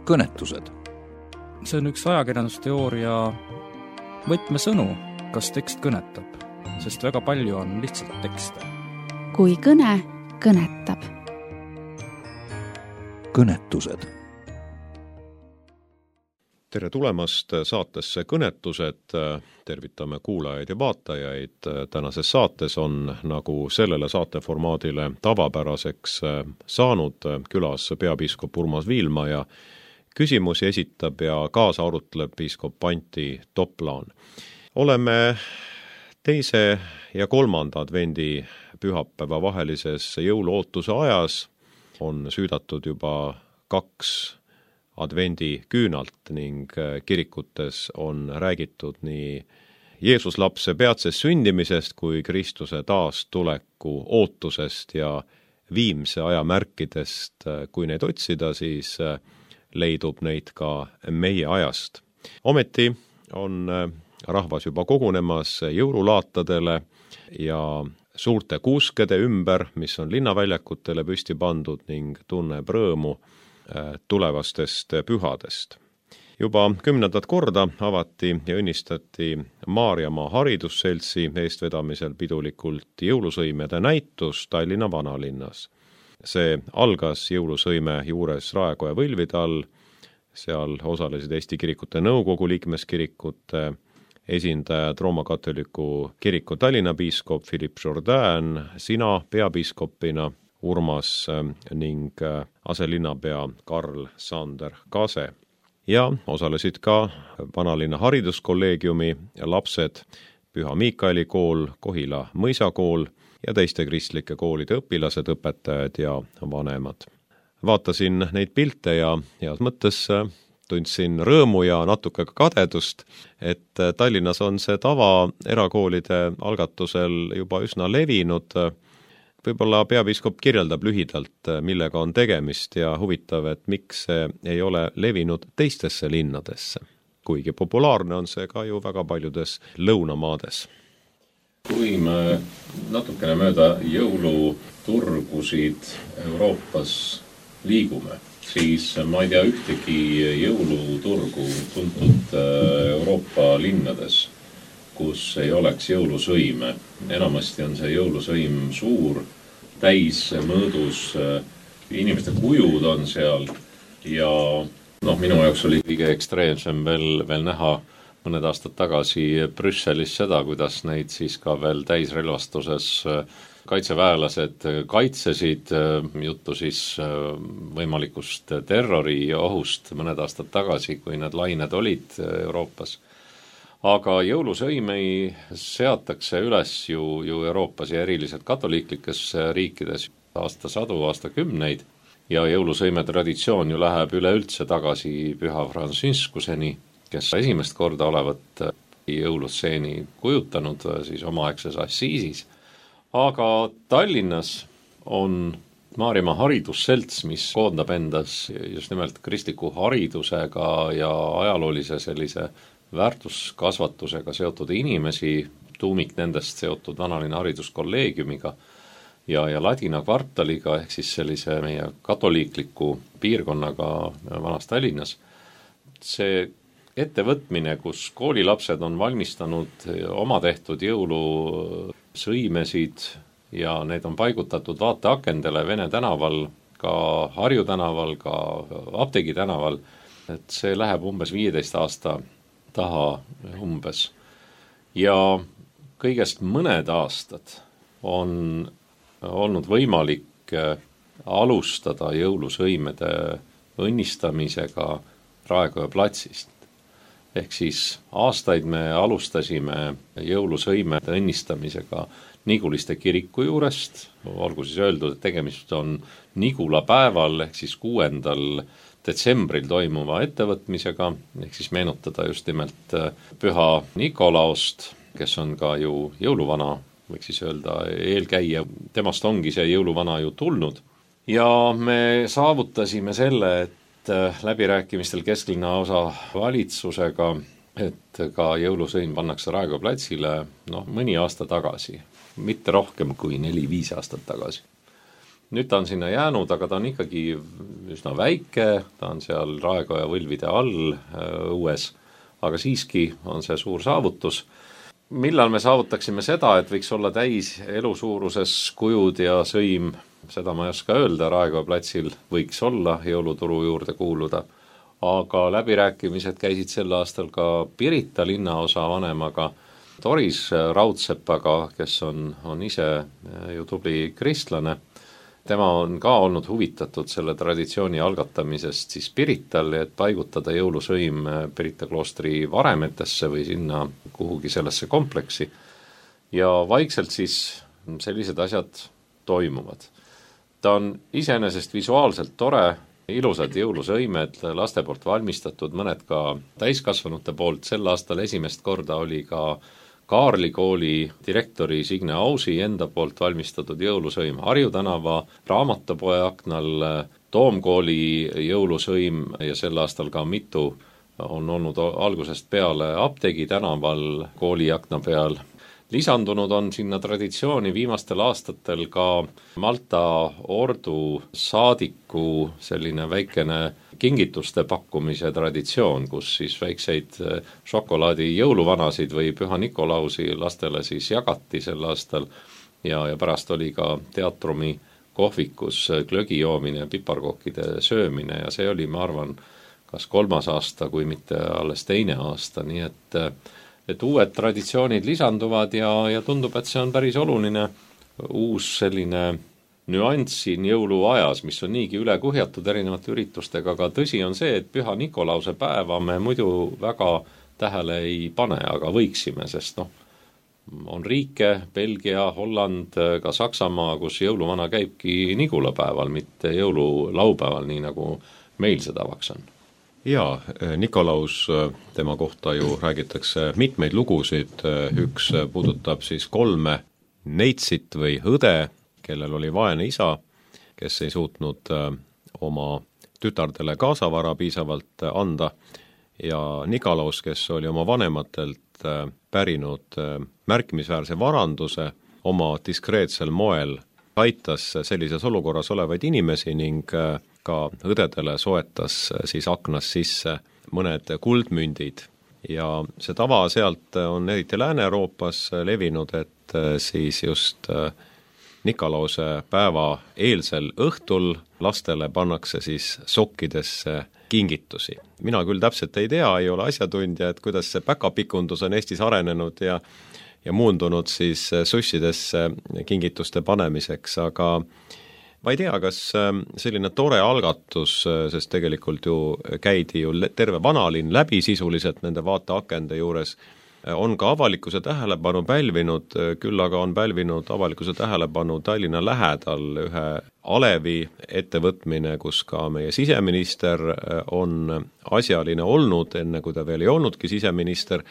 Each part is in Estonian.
kõnetused. See on üks ajakirjandusteooria võtmesõnu, kas tekst kõnetab, sest väga palju on lihtsalt tekste. Kui kõne kõnetab. Kõnetused. Tere tulemast saatesse Kõnetused. Tervitame kuulajaid ja vaatajaid. Tänases saates on nagu sellele saateformaadile tavapäraseks saanud külas peapiiskop Urmas Viilma ja küsimusi esitab ja kaasa arutleb piiskop Antti Toplaan. Oleme teise ja kolmanda advendi pühapäeva vahelises jõuluootuse ajas. On süüdatud juba 2 advendi küünalt ning kirikutes on räägitud nii Jeesus lapse peatsest sündimisest kui Kristuse taastuleku ootusest ja viimse aja märkidest. Kui neid otsida, siis leidub neid ka meie ajast. Ometi on rahvas juba kogunemas jõululaatadele ja suurte kuuskede ümber, mis on linnaväljakutele püsti pandud ning tunneb rõõmu tulevastest pühadest. Juba 10. korda avati ja õnnistati Maarjamaa haridusseltsi eestvedamisel pidulikult jõulusõimede näitus Tallinna vanalinnas. See algas jõulusõime juures Raekoja Võlvide all, seal osalesid Eesti Kirikute Nõukogu liikmeskirikute esindajad, Rooma katoliku kiriku Tallinna piiskop Philippe Jourdain, sina peapiiskopina, Urmas ning aselinnapea Karl Sander Kase. Ja osalesid ka vanalinna hariduskolleegiumi lapsed, Püha Miikaeli kool, Kohila mõisakool ja teiste kristlike koolide õpilased, õpetajad ja vanemad. Vaatasin neid pilte ja heas mõttes tundsin rõõmu ja natuke kadedust, et Tallinnas on see tava erakoolide algatusel juba üsna levinud. Võib-olla peapiiskop kirjeldab lühidalt, millega on tegemist ja huvitav, et miks see ei ole levinud teistesse linnadesse, kuigi populaarne on see ka ju väga paljudes lõunamaades. Kui me natukene mööda jõuluturgusid Euroopas liigume, siis ma ei tea ühtegi jõuluturgu tuntud Euroopa linnades, kus ei oleks jõulusõime. Enamasti on see jõulusõim suur, täis mõõdus, inimeste kujud on seal ja minu jaoks oli kõige ekstreemsem veel näha mõned aastad tagasi Brüsselis seda, kuidas neid siis ka veel täisrelvastuses kaitseväelased kaitsesid, juttu siis võimalikust terroriohust mõned aastad tagasi, kui need lained olid Euroopas. Aga jõulusõimei seatakse üles ju Euroopas ja eriliselt katoliiklikes riikides aastasadu, aastakümneid ja jõulusõime traditsioon ju läheb üleüldse tagasi Püha Franciscuseni, kes esimest korda olevat jõulustseeni kujutanud siis omaaegses Assiisis. Aga Tallinnas on Maarjamaa haridusselts, mis koondab endas just nimelt kristliku haridusega ja ajaloolise sellise väärtuskasvatusega seotud inimesi, tuumik nendest seotud vanalinna hariduskolleegiumiga ja Ladina kvartaliga ehk siis sellise meie katoliikliku piirkonnaga vanas Tallinnas. See ettevõtmine, kus koolilapsed on valmistanud oma tehtud jõulusõimesid ja need on paigutatud vaateakendele Vene tänaval, ka Harju tänaval, ka Apteegi tänaval, et see läheb umbes 15 aasta taha umbes. Ja kõigest mõned aastad on olnud võimalik alustada jõulusõimede õnnistamisega Raekoja platsist. Ehk siis aastaid me alustasime jõulusõimede õnnistamisega Niguliste kiriku juurest, olgu siis öeldud, et tegemist on Nigula päeval ehk siis 6. detsembril toimuva ettevõtmisega, ehk siis meenutada just nimelt Püha Nikolaost, kes on ka ju jõuluvana, võiks siis öelda eelkäija, temast ongi see jõuluvana ju tulnud. Ja me saavutasime selle, et läbirääkimistel kesklinna osa valitsusega, et ka jõulusõim pannakse Raekoja platsile mõni aasta tagasi, mitte rohkem kui 4-5 aastat tagasi. nüüd ta on sinna jäänud, aga ta on ikkagi üsna väike, ta on seal Raekoja võlvide all õues, aga siiski on see suur saavutus. Millal me saavutaksime seda, et võiks olla täis elusuuruses kujud ja sõim, seda ma ei oska öelda, Raekoja platsil võiks olla jõuluturu juurde kuuluda, aga läbirääkimised käisid sel aastal ka Pirita linnaosa vanemaga, Doris Raudsepaga, kes on ise ju tubli kristlane. Tema on ka olnud huvitatud selle traditsiooni algatamisest siis Pirital, et paigutada jõulusõim Pirita kloostri varemetesse või sinna kuhugi sellesse kompleksi. Ja vaikselt siis sellised asjad toimuvad. Ta on iseenesest visuaalselt tore, ilusad jõulusõimed, laste poolt valmistatud, mõned ka täiskasvanute poolt. Sel aastal esimest korda oli ka Kaarli kooli direktori Signe Ausi enda poolt valmistatud jõulusõim Harju tänava raamatupoe aknal, Toomkooli jõulusõim ja sel aastal ka mitu on olnud algusest peale Apteegi tänaval kooli akna peal. Lisandunud on sinna traditsiooni viimastel aastatel ka Malta ordu saadiku selline väikene kingituste pakkumise traditsioon, kus siis väikseid šokolaadi jõuluvanasid või Püha Nikolausi lastele siis jagati sel aastal ja pärast oli ka teatrumi kohvikus glögi joomine ja piparkokkide söömine ja see oli, ma arvan, kas 3. aasta, kui mitte alles 2. aasta, nii et uued traditsioonid lisanduvad ja tundub, et see on päris oluline uus selline nüanss siin jõuluajas, mis on niigi üle kuhjatud erinevate üritustega, aga tõsi on see, et Püha Nikolause päeva me muidu väga tähele ei pane, aga võiksime, sest on riike, Belgia, Holland, ka Saksamaa, kus jõuluvana käibki Nigulapäeval, mitte jõululaupäeval, nii nagu meil see tavaks on. Jaa, Nikolaus, tema kohta ju räägitakse mitmeid lugusid, üks puudutab siis 3 neitsit või õde, kellel oli vaene isa, kes ei suutnud oma tütardele kaasavara piisavalt anda ja Nikolaus, kes oli oma vanematelt pärinud märkimisväärse varanduse, oma diskreetsel moel aitas sellises olukorras olevaid inimesi ning ka õdedele soetas siis aknas sisse mõned kuldmündid ja see tava sealt on eriti Lääne-Euroopas levinud, et siis just Nikolause päeva eelsel õhtul lastele pannakse siis sokkidesse kingitusi. Mina küll täpselt ei tea, ei ole asjatundja, et kuidas see päkapikundus on Eestis arenenud ja muundunud siis sussidesse kingituste panemiseks, aga ma ei tea, kas selline tore algatus, sest tegelikult ju käidi ju terve vanalinn läbi sisuliselt nende vaateakende juures, on ka avalikkuse tähelepanu pälvinud, küll aga on pälvinud avalikkuse tähelepanu Tallinna lähedal ühe alevi ettevõtmine, kus ka meie siseminister on asjaline olnud, enne kui ta veel ei olnudki siseminister,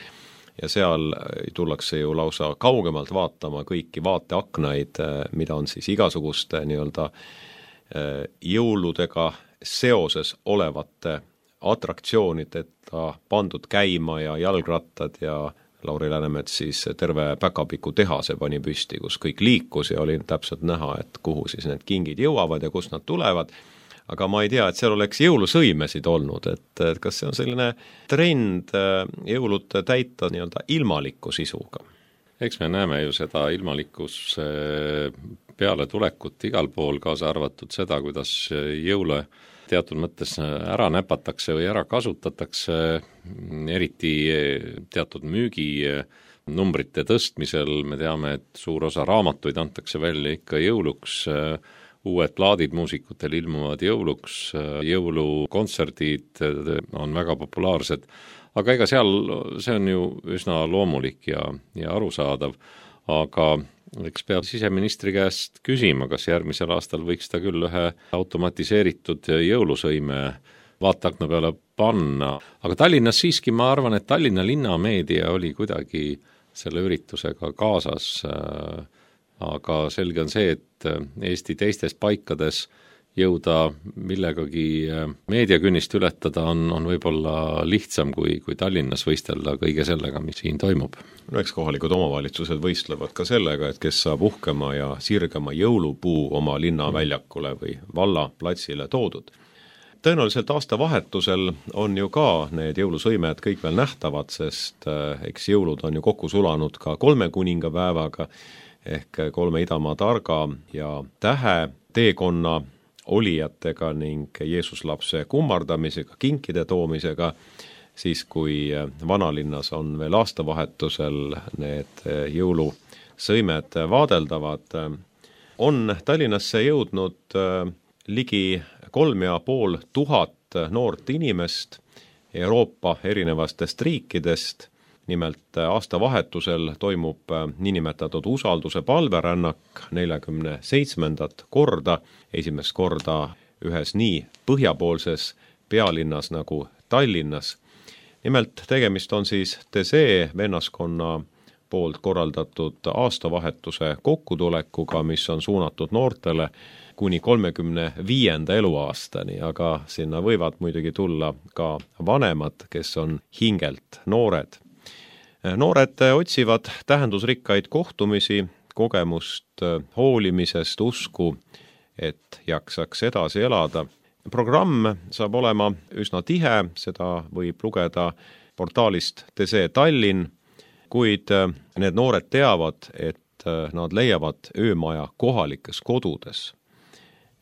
ja seal tullakse ju lausa kaugemalt vaatama kõiki vaateaknaid, mida on siis igasuguste nii-öelda jõuludega seoses olevate atraktsioonideta pandud käima ja jalgrattad ja Lauri Läänemets siis terve päkapiku tehase pani püsti, kus kõik liikus ja oli täpselt näha, et kuhu siis need kingid jõuavad ja kust nad tulevad. Aga ma ei tea, et seal oleks jõulusõimesid olnud, et kas see on selline trend jõulud täita nii-öelda ilmaliku sisuga? Eks me näeme ju seda ilmalikus peale tulekut igal pool, kaasa arvatud seda, kuidas jõule teatud mõttes ära näpatakse või ära kasutatakse, eriti teatud müüginumbrite tõstmisel. Me teame, et suur osa raamatuid antakse välja ikka jõuluks, uued plaadid muusikutel ilmuvad jõuluks, jõulukontserdid on väga populaarsed, aga ega seal see on ju üsna loomulik ja arusaadav, aga eks peab siseministri käest küsima, kas järgmisel aastal võiks ta küll ühe automatiseeritud jõulusõime vaateakna peale panna. Aga Tallinnas siiski ma arvan, et Tallinna linnameedia oli kuidagi selle üritusega kaasas, aga selge on see, et Eesti teistes paikades jõuda millegagi meediakünnist ületada on võib-olla lihtsam kui Tallinnas võistelda kõige sellega, mis siin toimub. No eks kohalikud omavalitsused võistlevad ka sellega, et kes saab uhkema ja sirgema jõulupuu oma linnaväljakule või vallaplatsile toodud. Tõenäoliselt aastavahetusel on ju ka need jõulusõimed kõik veel nähtavad, sest eks jõulud on ju kokku sulanud ka 3 kuningapäevaga ehk 3 idamaa targa ja tähe teekonna olijatega ning Jeesuslapse kummardamisega, kinkide toomisega, siis kui vanalinnas on veel aastavahetusel need jõulusõimed vaadeldavad, on Tallinnasse jõudnud ligi 3500 noort inimest Euroopa erinevatest riikidest. Nimelt aastavahetusel toimub niinimetatud usalduse palverännak 47. korda, esimest korda ühes nii põhjapoolses pealinnas nagu Tallinnas. Nimelt tegemist on siis Tesee vennaskonna poolt korraldatud aastavahetuse kokkutulekuga, mis on suunatud noortele kuni 35. eluaastani, aga sinna võivad muidugi tulla ka vanemad, kes on hingelt noored. Noored otsivad tähendusrikkaid kohtumisi, kogemust hoolimisest, usku, et jaksaks edasi elada. Programm saab olema üsna tihe, seda võib lugeda portaalist Tesee Tallinn, kuid need noored teavad, et nad leiavad öömaja kohalikes kodudes.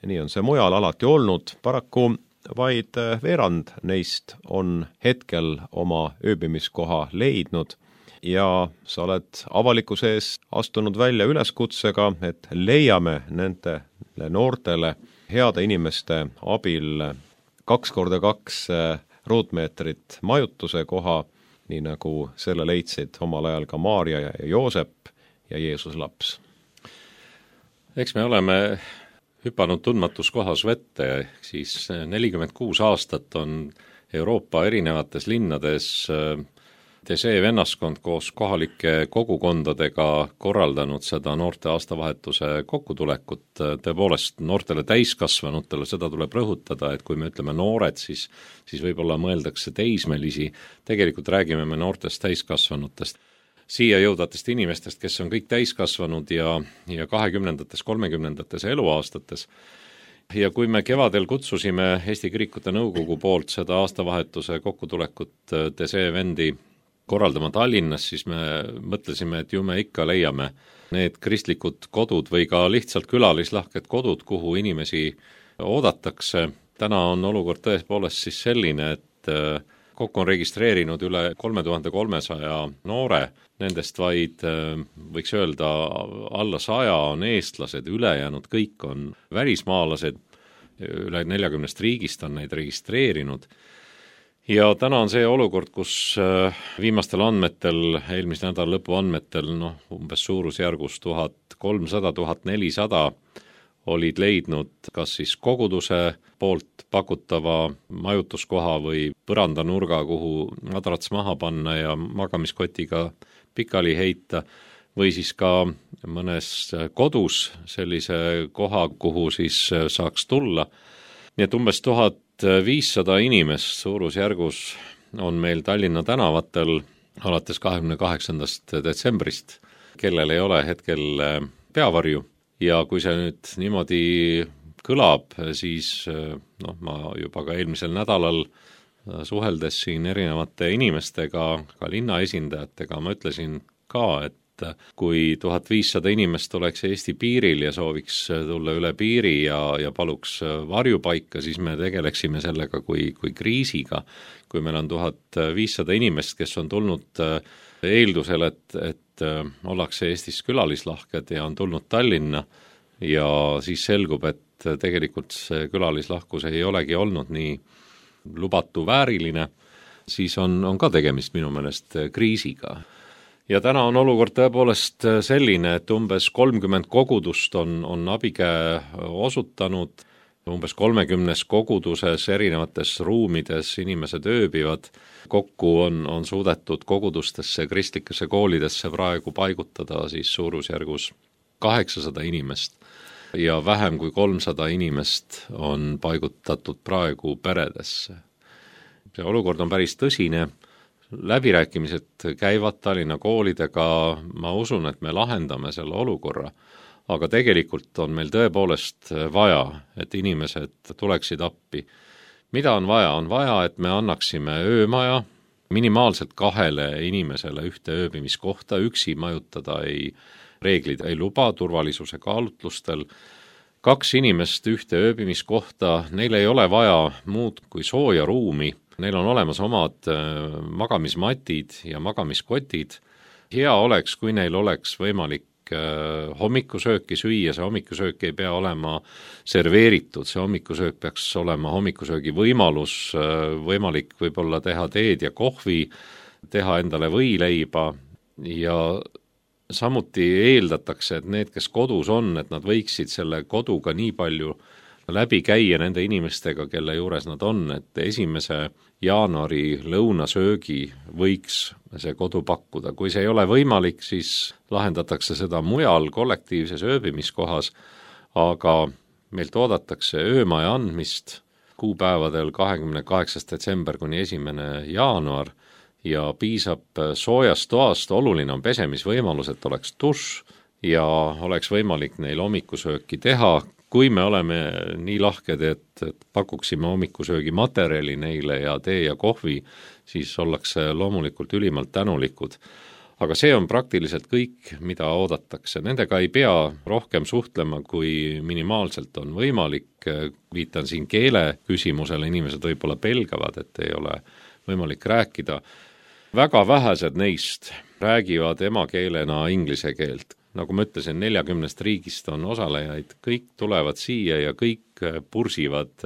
Nii on see mujal alati olnud, paraku vaid veerand neist on hetkel oma ööbimiskoha leidnud ja sa oled avalikkuse ees astunud välja üleskutsega, et leiame nendele noortele heade inimeste abil 2x2 ruutmeetrit majutuse koha, nii nagu selle leidsid omal ajal ka Maarja ja Joosep ja Jeesus laps. Eks me oleme hüpanud tundmatus kohas vette, ehk siis 46 aastat on Euroopa erinevates linnades Tesee vennaskond koos kohalike kogukondadega korraldanud seda noorte aastavahetuse kokkutulekut. Tõepoolest noortele täiskasvanutele seda tuleb rõhutada, et kui me ütleme noored, siis võib-olla mõeldakse teismelisi. Tegelikult räägime me noortest täiskasvanutest. Siia jõudvatest inimestest, kes on kõik täiskasvanud ja 20-ndates, 30-ndates eluaastates. Ja kui me kevadel kutsusime Eesti Kirikute Nõukogu poolt seda aastavahetuse kokkutulekut Tesee vendi korraldama Tallinnas, siis me mõtlesime, et ju me ikka leiame need kristlikud kodud või ka lihtsalt külalislahked kodud, kuhu inimesi oodatakse. Täna on olukord tõepoolest siis selline, et kokku on registreerinud üle 3300 noore, nendest vaid võiks öelda alla 100 on eestlased, ülejäänud kõik on välismaalased, üle 40 riigist on neid registreerinud. Ja täna on see olukord, kus viimastel andmetel, eelmise nädala lõpu andmetel, umbes suurusjärgus 1300-1400 olid leidnud kas siis koguduse poolt pakutava majutuskoha või põrandanurga, kuhu madrats maha panna ja magamiskotiga pikali heita, või siis ka mõnes kodus sellise koha, kuhu siis saaks tulla. Nii et umbes 1500 inimest suurusjärgus on meil Tallinna tänavatel alates 28. detsembrist, kellel ei ole hetkel peavarju. Ja kui see nüüd niimoodi kõlab, siis ma juba ka eelmisel nädalal suheldes siin erinevate inimestega, ka linna esindajatega, ma ütlesin ka, et kui 1500 inimest oleks Eesti piiril ja sooviks tulla üle piiri ja paluks varjupaika, siis me tegeleksime sellega kui kriisiga. Kui meil on 1500 inimest, kes on tulnud eeldusel, et ollakse Eestis külalislahked ja on tulnud Tallinna ja siis selgub, et tegelikult see külalislahkus ei olegi olnud nii lubatu vääriline, siis on ka tegemist minu meelest kriisiga. Ja täna on olukord tõepoolest selline, et umbes 30 kogudust on abikäe osutanud, umbes 30 koguduses erinevates ruumides inimesed ööbivad. Kokku on suudetud kogudustesse, kristlikesse koolidesse praegu paigutada siis suurusjärgus 800 inimest. ja vähem kui 300 inimest on paigutatud praegu peredesse. See olukord on päris tõsine, läbirääkimised käivad Tallinna koolidega, ma usun, et me lahendame selle olukorra, aga tegelikult on meil tõepoolest vaja, et inimesed tuleksid appi. Mida on vaja? On vaja, et me annaksime öömaja, minimaalselt 2 inimesele ühte ööbimiskohta, üksi majutada reeglid ei luba turvalisuse kaalutlustel, 2 inimest ühte ööbimiskohta, neil ei ole vaja muud kui sooja ruumi, neil on olemas omad magamismatid ja magamiskotid. Hea oleks, kui neil oleks võimalik hommikusööki süüa, see hommikusöök ei pea olema serveeritud, see hommikusöök peaks olema hommikusöögi võimalus, võimalik võib-olla teha teed ja kohvi, teha endale võileiba ja samuti eeldatakse, et need, kes kodus on, et nad võiksid selle koduga nii palju läbi käia nende inimestega, kelle juures nad on, et 1. jaanuari lõunasöögi võiks see kodu pakkuda. Kui see ei ole võimalik, siis lahendatakse seda mujal kollektiivses ööbimiskohas, aga meilt oodatakse öömaja andmist kuupäevadel 28. detsember kuni 1. jaanuar ja piisab soojast toast, oluline on pesemisvõimalus, et oleks dušš ja oleks võimalik neil hommikusööki teha. Kui me oleme nii lahked, et pakuksime hommikusöögi materjali neile ja tee ja kohvi, siis ollakse loomulikult ülimalt tänulikud. Aga see on praktiliselt kõik, mida oodatakse. Nendega ei pea rohkem suhtlema, kui minimaalselt on võimalik. Viitan siin keele küsimusele, inimesed võib-olla pelgavad, et ei ole võimalik rääkida. Väga vähesed neist räägivad emakeelena inglise keelt. Nagu ma ütlesin, 40 riigist on osalejaid, kõik tulevad siia ja kõik pursivad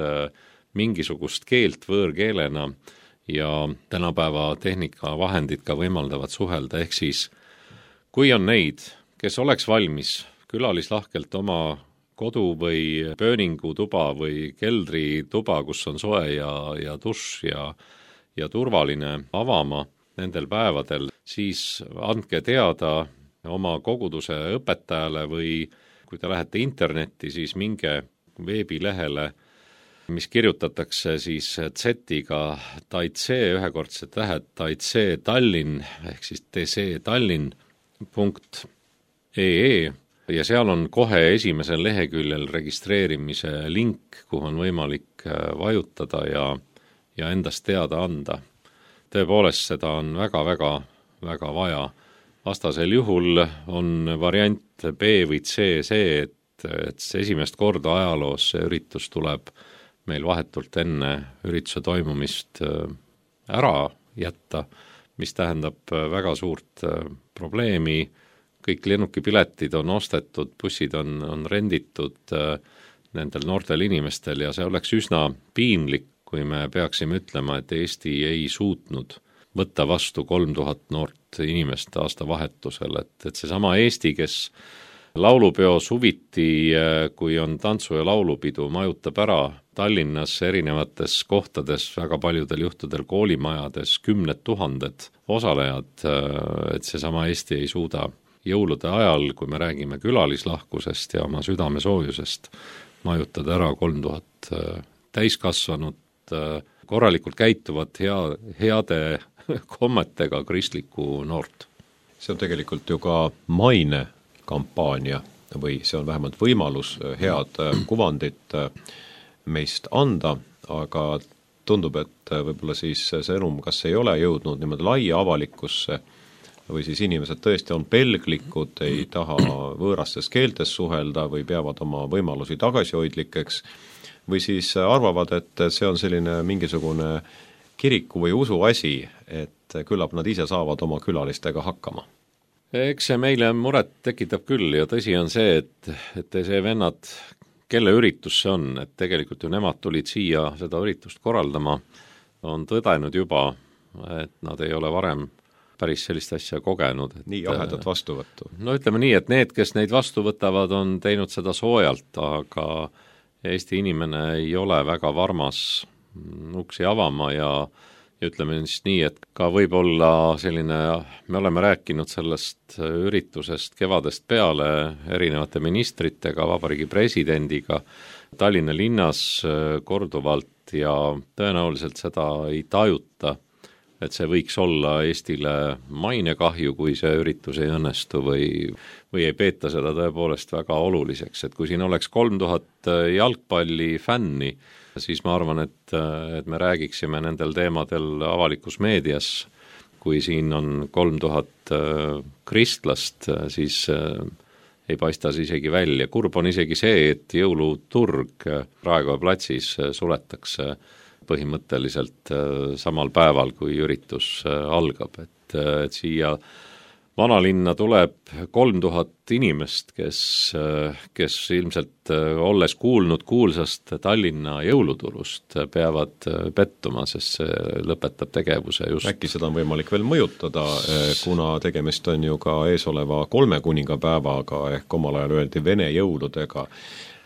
mingisugust keelt võõrkeelena ja tänapäeva tehnikavahendid ka võimaldavad suhelda, ehk siis kui on neid, kes oleks valmis külalislahkelt oma kodu või pööningutuba või keldrituba, kus on soe ja dušš ja turvaline avama nendel päevadel, siis andke teada oma koguduse õpetajale või kui te lähete internetti, siis minge veebilehele, mis kirjutatakse siis Z-iga Taitse, ühekordsed tähed Taitse Tallinn ehk siis tctallinn.ee ja seal on kohe esimesel leheküljel registreerimise link, kuhu on võimalik vajutada ja endast teada anda. Tõepoolest, seda on väga vaja. Vastasel juhul on variant B või C see, et esimest korda ajaloos see üritus tuleb meil vahetult enne ürituse toimumist ära jätta, mis tähendab väga suurt probleemi. Kõik lennukipiletid on ostetud, bussid on renditud nendel noortel inimestel ja see oleks üsna piinlik, kui me peaksime ütlema, et Eesti ei suutnud võtta vastu 3000 noort inimest aastavahetusel, et seesama Eesti, kes laulupeo suviti, kui on tantsu- ja laulupidu, majutab ära Tallinnas erinevates kohtades, väga paljudel juhtudel koolimajades 10 000 osalejad, et seesama Eesti ei suuda jõulude ajal, kui me räägime külalislahkusest ja oma südamesoojusest, majutada ära 3000 täiskasvanut, korralikult käituvat heade kommetega kristlikku noort. See on tegelikult ju ka mainekampaania või see on vähemalt võimalus head kuvandit meist anda, aga tundub, et võib-olla siis see sõnum kas ei ole jõudnud niimoodi laia avalikkusse või siis inimesed tõesti on pelglikud, ei taha võõrastes keeltes suhelda või peavad oma võimalusi tagasihoidlikeks või siis arvavad, et see on selline mingisugune kiriku või usu asi, et küllap nad ise saavad oma külalistega hakkama. Eks see meile muret tekitab küll ja tõsi on see, et see vennad, kelle üritus see on, et tegelikult ju nemad tulid siia seda üritust korraldama, on tõdenud juba, et nad ei ole varem päris sellist asja kogenud. Nii jahedat vastuvõttu. No ütleme nii, et need, kes neid vastu võtavad, on teinud seda soojalt, aga Eesti inimene ei ole väga varmas uksi avama ja ja ütleme siis nii, et ka võib-olla selline, me oleme rääkinud sellest üritusest kevadest peale erinevate ministritega, vabariigi presidendiga, Tallinna linnas korduvalt ja tõenäoliselt seda ei tajuta, et see võiks olla Eestile mainekahju, kui see üritus ei õnnestu või ei peeta seda tõepoolest väga oluliseks, et kui siin oleks 3000 jalgpallifänni, siis ma arvan, et me räägiksime nendel teemadel avalikus meedias. Kui siin on 3000 kristlast, siis ei paista see isegi välja. Kurb on isegi see, et jõuluturg Raekoja platsis suletakse põhimõtteliselt samal päeval, kui üritus algab, et siia vanalinna tuleb 3000 inimest, kes ilmselt olles kuulnud kuulsast Tallinna jõuluturust peavad pettuma, sest see lõpetab tegevuse just. Äkki seda on võimalik veel mõjutada, kuna tegemist on ju ka eesoleva 3 kuningapäevaga ehk omal ajal öeldi Vene jõuludega,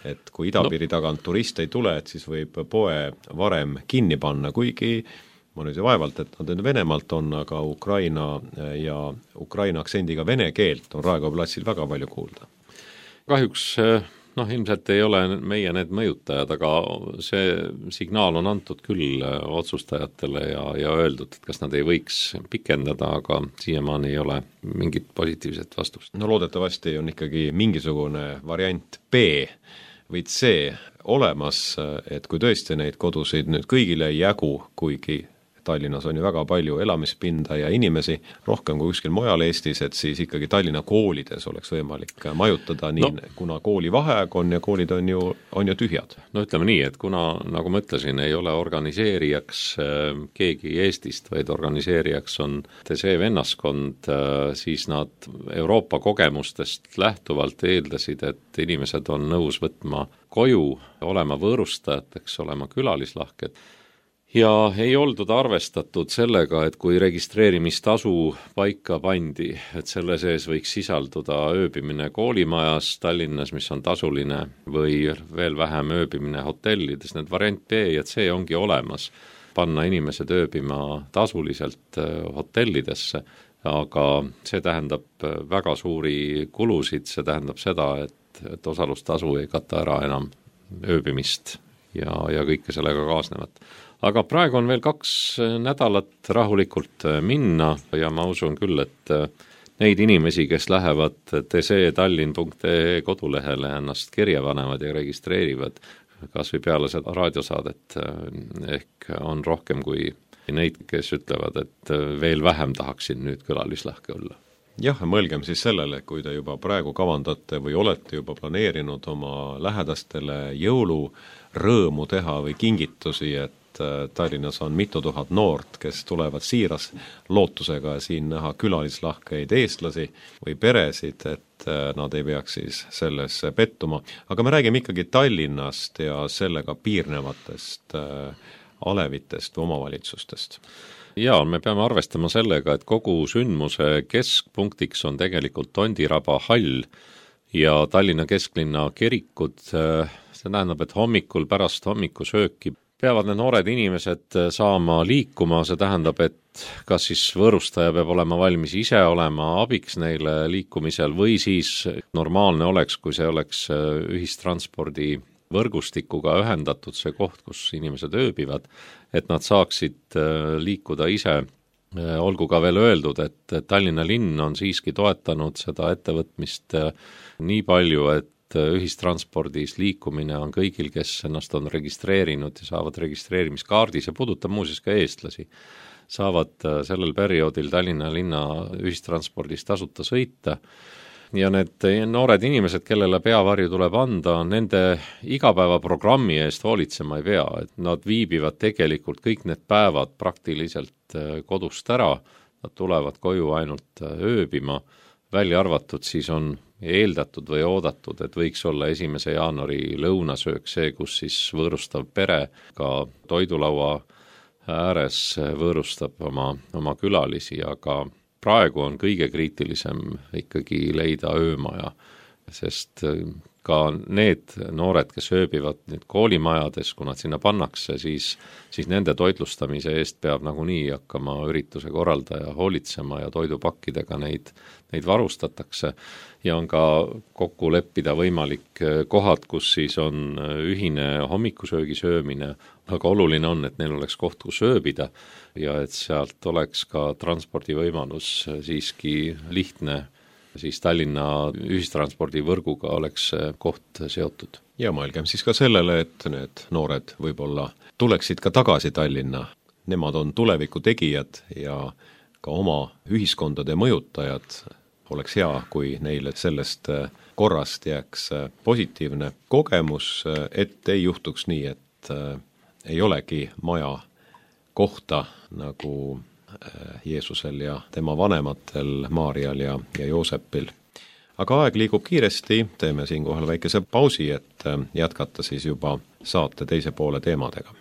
et kui idapiiri tagant turist ei tule, et siis võib poe varem kinni panna, kuigi ma nüüd vaevalt, et nad Venemaalt on, aga Ukraina ja Ukraina aktsendiga vene keelt on Raekoja platsil väga palju kuulda. Kahjuks ilmselt ei ole meie need mõjutajad, aga see signaal on antud küll otsustajatele ja öeldud, et kas nad ei võiks pikendada, aga siiamaani ei ole mingit positiivset vastust. No loodetavasti on ikkagi mingisugune variant B või C olemas, et kui tõesti neid kodusid nüüd kõigile ei jagu, kuigi Tallinnas on ju väga palju elamispinda ja inimesi, rohkem kui kuskil mujal Eestis, et siis ikkagi Tallinna koolides oleks võimalik majutada nii, kuna kooli vaheaeg on ja koolid on ju tühjad. No ütleme nii, et kuna, nagu ma ütlesin, ei ole organiseerijaks keegi Eestist, vaid organiseerijaks on see vennaskond, siis nad Euroopa kogemustest lähtuvalt eeldasid, et inimesed on nõus võtma koju, olema võõrustajateks, olema külalislahked. Ja ei oldud arvestatud sellega, et kui registreerimistasu paika pandi, et selle sees võiks sisalduda ööbimine koolimajas Tallinnas, mis on tasuline, või veel vähem ööbimine hotellides, need variant B ja C ongi olemas, panna inimesed ööbima tasuliselt hotellidesse, aga see tähendab väga suuri kulusid, see tähendab seda, et osalustasu ei kata ära enam ööbimist ja kõike sellega kaasnevat. Aga praegu on veel 2 nädalat rahulikult minna ja ma usun küll, et neid inimesi, kes lähevad tctallinn.ee kodulehele ennast kirja panevad ja registreerivad, kas või peale seda raadiosaadet, ehk on rohkem kui neid, kes ütlevad, et veel vähem tahaksin nüüd külalislahke olla. Jah, mõelgem siis sellele, kui te juba praegu kavandate või olete juba planeerinud oma lähedastele jõulurõõmu teha või kingitusi, et Tallinnas on mitu tuhat noort, kes tulevad siiras lootusega siin näha külalislahkeid eestlasi või peresid, et nad ei peaks siis selles pettuma. Aga me räägime ikkagi Tallinnast ja sellega piirnevatest alevitest või omavalitsustest. Ja me peame arvestama sellega, et kogu sündmuse keskpunktiks on tegelikult Tondiraba hall ja Tallinna kesklinna kirikud. See tähendab, et hommikul pärast hommikusööki peavad need noored inimesed saama liikuma, see tähendab, et kas siis võõrustaja peab olema valmis ise olema abiks neile liikumisel või siis normaalne oleks, kui see oleks ühistranspordi võrgustikuga ühendatud see koht, kus inimesed ööbivad, et nad saaksid liikuda ise. Olgu ka veel öeldud, et Tallinna linn on siiski toetanud seda ettevõtmist nii palju, et ühistranspordis liikumine on kõigil, kes ennast on registreerinud ja saavad registreerimiskaardis ja puudutab muuseas ka eestlasi, saavad sellel perioodil Tallinna linna ühistranspordis tasuta sõita. Ja need noored inimesed, kellele peavarju tuleb anda, nende igapäevaprogrammi eest hoolitsema ei pea, et nad viibivad tegelikult kõik need päevad praktiliselt kodust ära, nad tulevad koju ainult ööbima, välja arvatud siis on eeldatud või oodatud, et võiks olla 1. jaanuari lõunasöök see, kus siis võõrustav pere ka toidulaua ääres võõrustab oma külalisi, aga praegu on kõige kriitilisem ikkagi leida öömaja, sest ka need noored, kes ööbivad nüüd koolimajades, kui nad sinna pannakse, siis nende toitlustamise eest peab nagunii hakkama ürituse korraldaja hoolitsema ja toidupakkidega neid varustatakse ja on ka kokku leppida võimalik kohad, kus siis on ühine hommikusöögi söömine, aga oluline on, et neil oleks koht, kus ööbida ja et sealt oleks ka transpordivõimalus siiski lihtne, siis Tallinna ühistranspordivõrguga oleks koht seotud. Ja mõelgem siis ka sellele, et need noored võib-olla tuleksid ka tagasi Tallinna. Nemad on tuleviku tegijad ja ka oma ühiskondade mõjutajad. Oleks hea, kui neile sellest korrast jääks positiivne kogemus, et ei juhtuks nii, et ei olegi maja kohta nagu Jeesusel ja tema vanematel Maarjal ja Joosepil. Aga aeg liigub kiiresti, teeme siinkohal väikese pausi, et jätkata siis juba saate teise poole teemadega.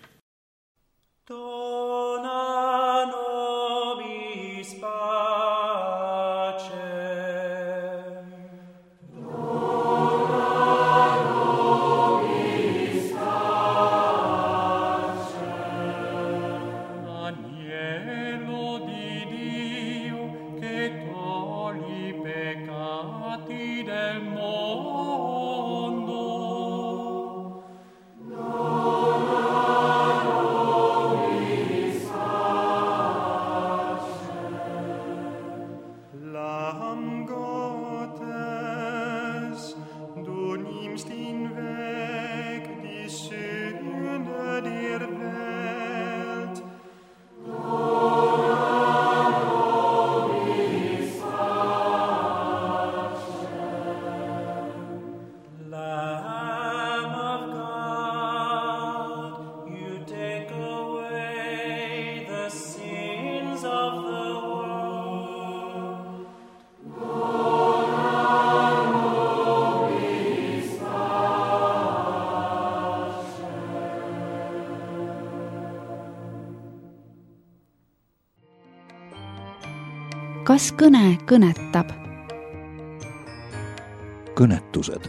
Kas kõne kõnetab? Kõnetused.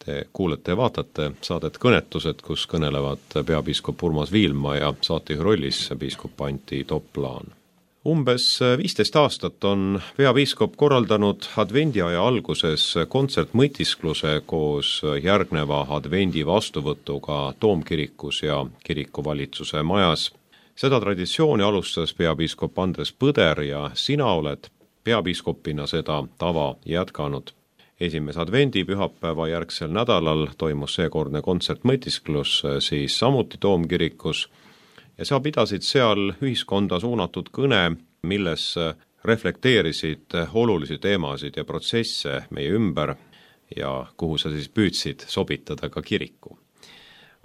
Te kuulete ja vaatate saadet Kõnetused, kus kõnelevad peapiiskop Urmas Viilma ja saatejuhi rollis piiskop Antti Toplaan. Umbes 15 aastat on peapiiskop korraldanud advendiaja alguses kontsertmõtiskluse koos järgneva advendi vastuvõtuga Toomkirikus ja kirikuvalitsuse majas. Seda traditsiooni alustas peapiiskop Andres Põder ja sina oled peapiiskopina seda tava jätkanud. Esimese advendi pühapäeva järgsel nädalal toimus seekordne kontsertmõtisklus siis samuti Toomkirikus ja sa pidasid seal ühiskonda suunatud kõne, milles reflekteerisid olulisi teemasid ja protsesse meie ümber ja kuhu sa siis püüdsid sobitada ka kiriku.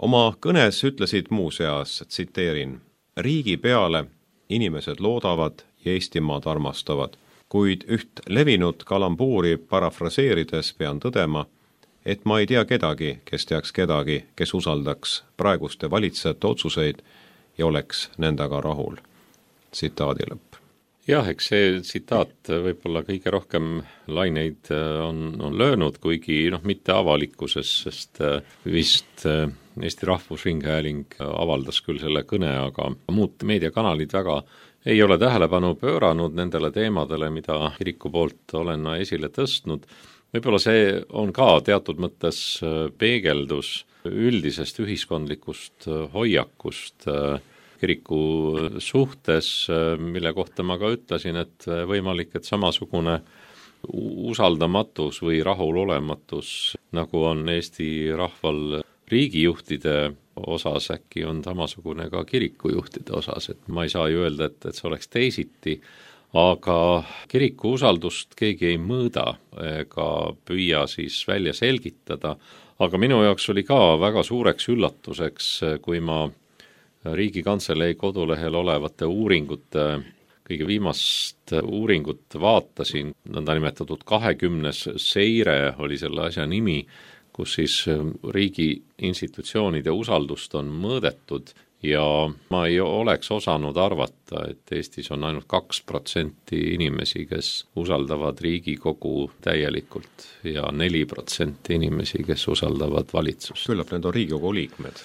Oma kõnes ütlesid muuseas, tsiteerin, riigi peale inimesed loodavad ja Eestimaad armastavad, kuid üht levinud kalambuuri parafraseerides pean tõdema, et ma ei tea kedagi, kes teaks kedagi, kes usaldaks praeguste valitsejate otsuseid ja oleks nendega rahul. Tsitaadi lõpp. Jah, eks see tsitaat võib-olla kõige rohkem laineid on löönud, kuigi mitte avalikkuses, sest vist Eesti Rahvusringhääling avaldas küll selle kõne, aga muud meediakanalid väga ei ole tähelepanu pööranud nendele teemadele, mida kiriku poolt olen esile tõstnud. Võib-olla see on ka teatud mõttes peegeldus üldisest ühiskondlikust hoiakust kiriku suhtes, mille kohta ma ka ütlesin, et võimalik, et samasugune usaldamatus või rahulolematus, nagu on Eesti rahval riigijuhtide osas, äkki on samasugune ka kirikujuhtide osas, et ma ei saa ju öelda, et see oleks teisiti, aga kiriku usaldust keegi ei mõõda ega püüa siis välja selgitada, aga minu jaoks oli ka väga suureks üllatuseks, kui ma Riigikantselei kodulehel olevate uuringute, kõige viimast uuringut vaatasin, nõndanimetatud 20 seire oli selle asja nimi, kus siis riigi institutsioonide usaldust on mõõdetud ja ma ei oleks osanud arvata, et Eestis on ainult 2% inimesi, kes usaldavad Riigikogu täielikult ja 4% inimesi, kes usaldavad valitsust. Küllap need on Riigikogu liikmed.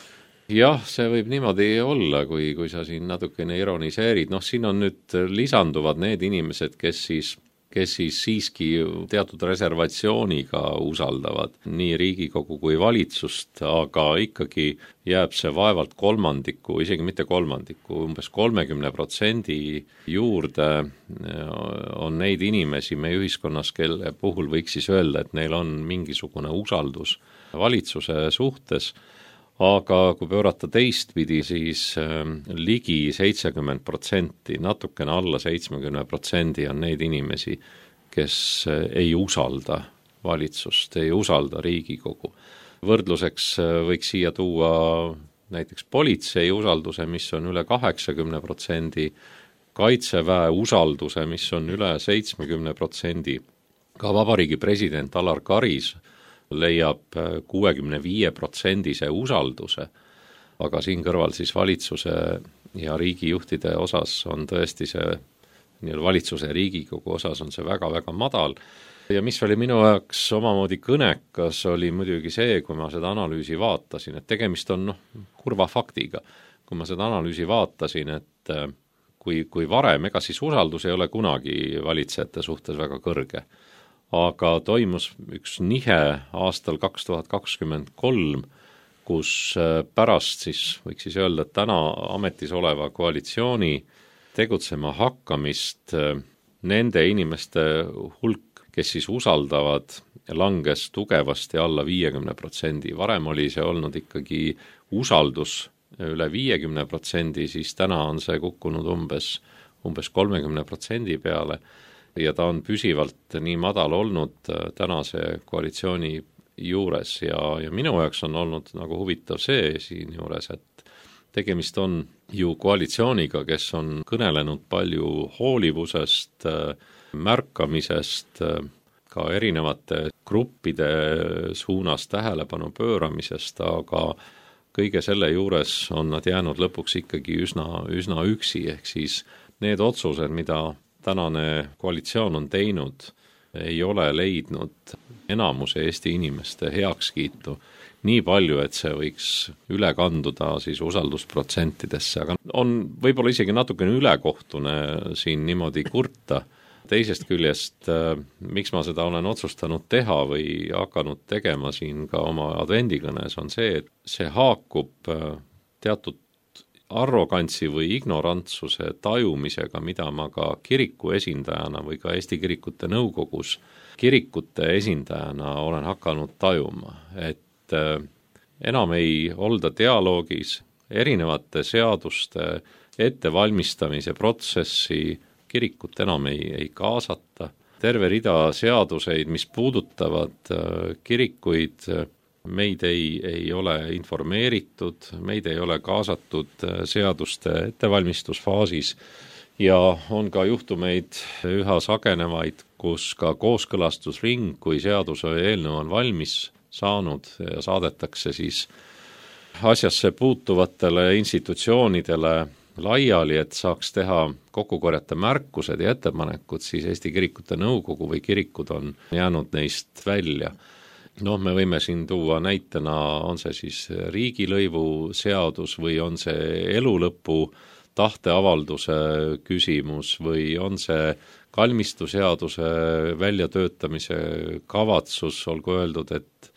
Jah, see võib niimoodi olla, kui sa siin natukene ironiseerid. Siin on nüüd lisanduvad need inimesed, kes siis siiski teatud reservatsiooniga usaldavad nii Riigikogu kui valitsust, aga ikkagi jääb see vaevalt kolmandiku, isegi mitte kolmandiku, umbes 30% juurde on neid inimesi meie ühiskonnas, kelle puhul võiks siis öelda, et neil on mingisugune usaldus valitsuse suhtes. Aga kui pöörata teistpidi, siis ligi 70%, natukene alla 70% on neid inimesi, kes ei usalda valitsust, ei usalda Riigikogu. Võrdluseks võiks siia tuua näiteks politsei usalduse, mis on üle 80%, kaitseväe usalduse, mis on üle 70%, ka vabariigi president Alar Karis leiab 65% usalduse, aga siin kõrval siis valitsuse ja riigijuhtide osas on tõesti see, valitsuse ja Riigikogu osas on see väga-väga madal. Ja mis oli minu jaoks omamoodi kõnekas, oli muidugi see, kui ma seda analüüsi vaatasin, et tegemist on kurva faktiga. Kui ma seda analüüsi vaatasin, et kui varem, ega siis usaldus ei ole kunagi valitsejate suhtes väga kõrge, aga toimus üks nihe aastal 2023, kus pärast siis, võiks siis öelda, et täna ametis oleva koalitsiooni tegutsema hakkamist nende inimeste hulk, kes siis usaldavad, langes tugevasti alla 50%. Varem oli see olnud ikkagi usaldus üle 50%, siis täna on see kukkunud umbes 30% peale. Ja ta on püsivalt nii madal olnud tänase koalitsiooni juures ja minu jaoks on olnud nagu huvitav see siin juures, et tegemist on ju koalitsiooniga, kes on kõnelenud palju hoolivusest, märkamisest, ka erinevate gruppide suunas tähelepanu pööramisest, aga kõige selle juures on nad jäänud lõpuks ikkagi üsna üksi, ehk siis need otsused, mida tänane koalitsioon on teinud, ei ole leidnud enamuse Eesti inimeste heakskiitu nii palju, et see võiks üle kanduda siis usaldusprotsentidesse, aga on võib-olla isegi natukene ülekohtune siin niimoodi kurta. Teisest küljest, miks ma seda olen otsustanud teha või hakanud tegema siin ka oma advendikõnes, on see, et see haakub teatud arrogantsi või ignorantsuse tajumisega, mida ma ka kiriku esindajana või ka Eesti Kirikute Nõukogus kirikute esindajana olen hakanud tajuma, et enam ei olda dialoogis, erinevate seaduste ettevalmistamise protsessi kirikut enam ei kaasata. Terve rida seaduseid, mis puudutavad kirikuid, meid ei ole informeeritud, meid ei ole kaasatud seaduste ettevalmistusfaasis ja on ka juhtumeid üha sagenevaid, kus ka kooskõlastusring, kui seaduse eelnõu on valmis saanud ja saadetakse siis asjasse puutuvatele institutsioonidele laiali, et saaks teha kokku korjata märkused ja ettepanekud, siis Eesti Kirikute Nõukogu või kirikud on jäänud neist välja. Me võime siin tuua näitena, on see siis riigilõivu seadus või on see elulõpu tahteavalduse küsimus või on see kalmistuseaduse väljatöötamise kavatsus, olgu öeldud, et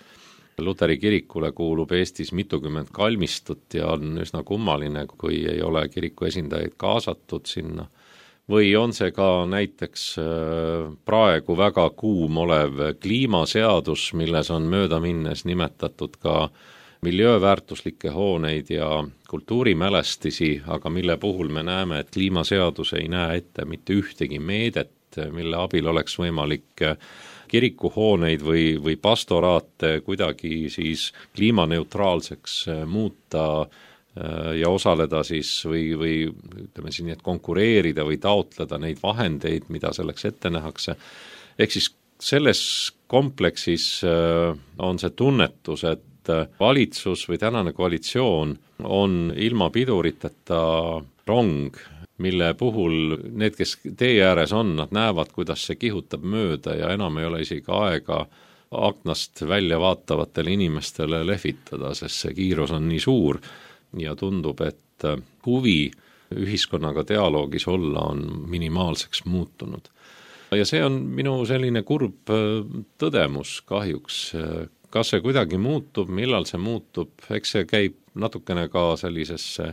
Luteri kirikule kuulub Eestis mitukümmend kalmistut ja on üsna kummaline, kui ei ole kiriku esindajaid kaasatud sinna. Või on see ka näiteks praegu väga kuum olev kliimaseadus, milles on mööda minnes nimetatud ka miljööväärtuslikke hooneid ja kultuurimälestisi, aga mille puhul me näeme, et kliimaseadus ei näe ette mitte ühtegi meedet, mille abil oleks võimalik kirikuhooneid või pastoraate kuidagi siis kliimaneutraalseks muuta ja osaleda siis või ütleme siin, et konkureerida või taotleda neid vahendeid, mida selleks ette nähakse. Ehk siis selles kompleksis on see tunnetus, et valitsus või tänane koalitsioon on ilma piduriteta rong, mille puhul need, kes tee ääres on, nad näevad, kuidas see kihutab mööda ja enam ei ole isegi aega aknast välja vaatavatele inimestele lehvitada, sest see kiirus on nii suur ja tundub, et huvi ühiskonnaga dialoogis olla on minimaalseks muutunud. Ja see on minu selline kurb tõdemus kahjuks. Kas see kuidagi muutub, millal see muutub, eks see käib natukene ka sellisesse